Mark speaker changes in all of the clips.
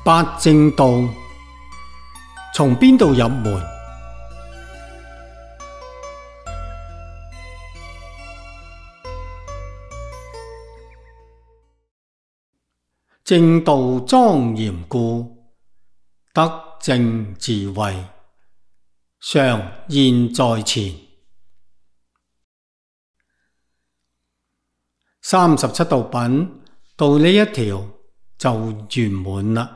Speaker 1: 八正道從邊度入門？正道莊嚴故，德正智慧，常現在前。37道品到呢一條就圓滿啦。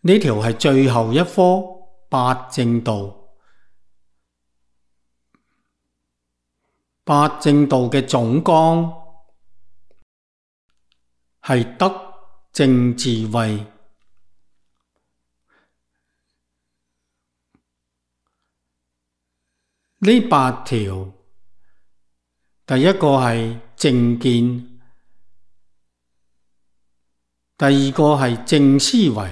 Speaker 1: 呢條係最後一科八正道。八正道嘅總綱係德正智慧。呢八條，第一個係正見，第二個係正思維，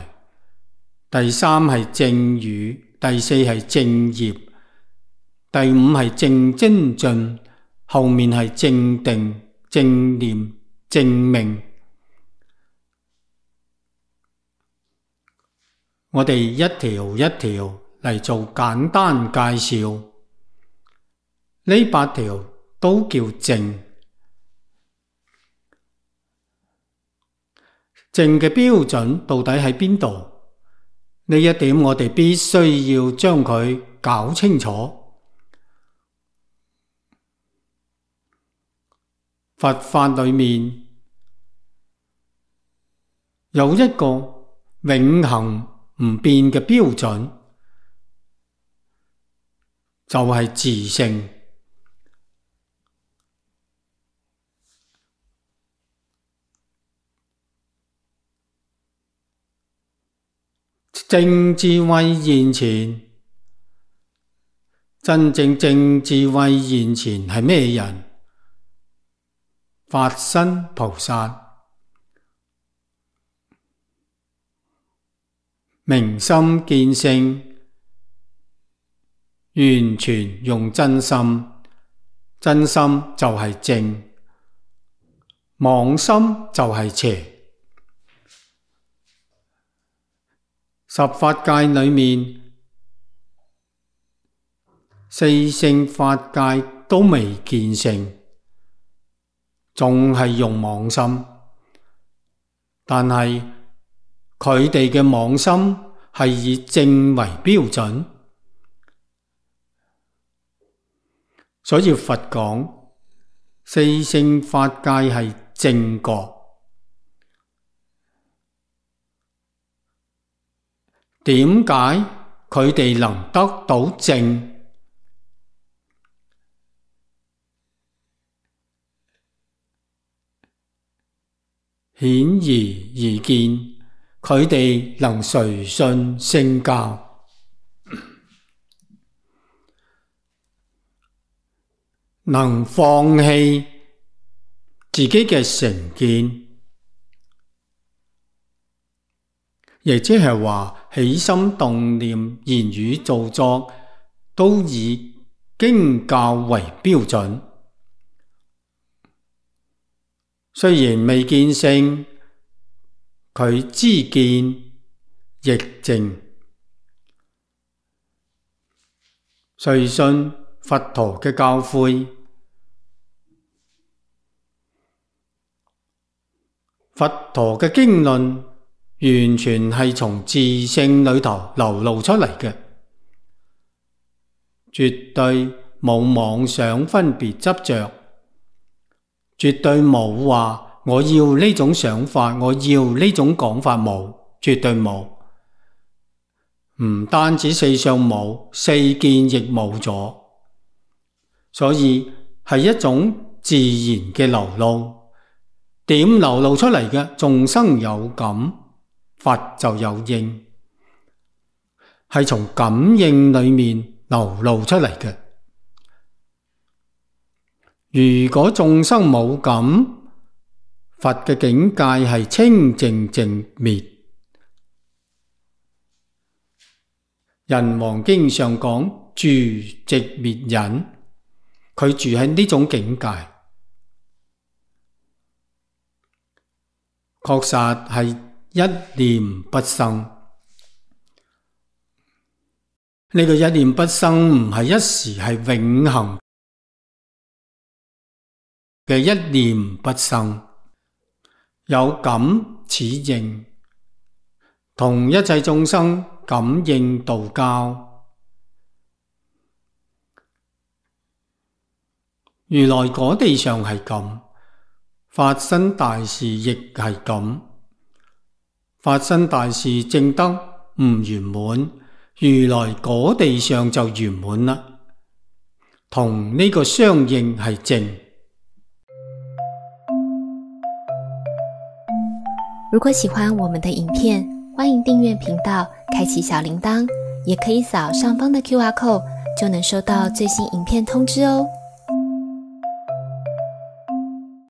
Speaker 1: 第三係正語，第四係正業，第五係正精進，後面係正定、正念、正命。我哋一條一條嚟做簡單介紹。呢八條都叫正。正嘅標準到底喺邊度？呢一點我哋必須要將佢搞清楚。佛法裏面有一個永恆唔變嘅標準，就係自性。正智慧現前，真正正智慧現前係咩人？法身菩薩，明心見性，完全用真心，真心就係正，妄心就係邪。十法界裏面，四聖法界都未見性，仲係用妄心，但係佢哋嘅妄心係以正為標準，所以佛講四聖法界係正覺。點解佢哋能得到正？顯而易見，佢哋能隨順聖教，能放棄自己嘅成見，亦即係話起心動念、言語造作都以經教為標準。雖然未見性，佢知見亦正，隨信佛陀嘅教誨。佛陀嘅經論完全係從自性裏頭流露出嚟嘅，絕對冇妄想分別執着，絕對冇話我要呢種想法，我要呢種講法，冇，絕對冇。唔單止四相冇，四見亦冇咗，所以係一種自然嘅流露。點流露出嚟嘅？眾生有感，佛就有應，係從感應裏面流露出嚟嘅。如果眾生冇感，佛嘅境界係清淨淨滅。人王經上講住寂滅忍，佢住喺呢種境界，確實係一念不生。呢個一念不生唔係一時，係永恆嘅一念不生。有感此應，同一切眾生感應道交。如來果地上係咁，發生大事亦係咁。發生大事證得唔圓滿，如來果地上就圓滿啦。同呢個相應係正。
Speaker 2: 如果喜歡我們的影片，歡迎訂閱頻道，開啟小鈴鐺，也可以掃上方的QR code，就能收到最新影片通知哦。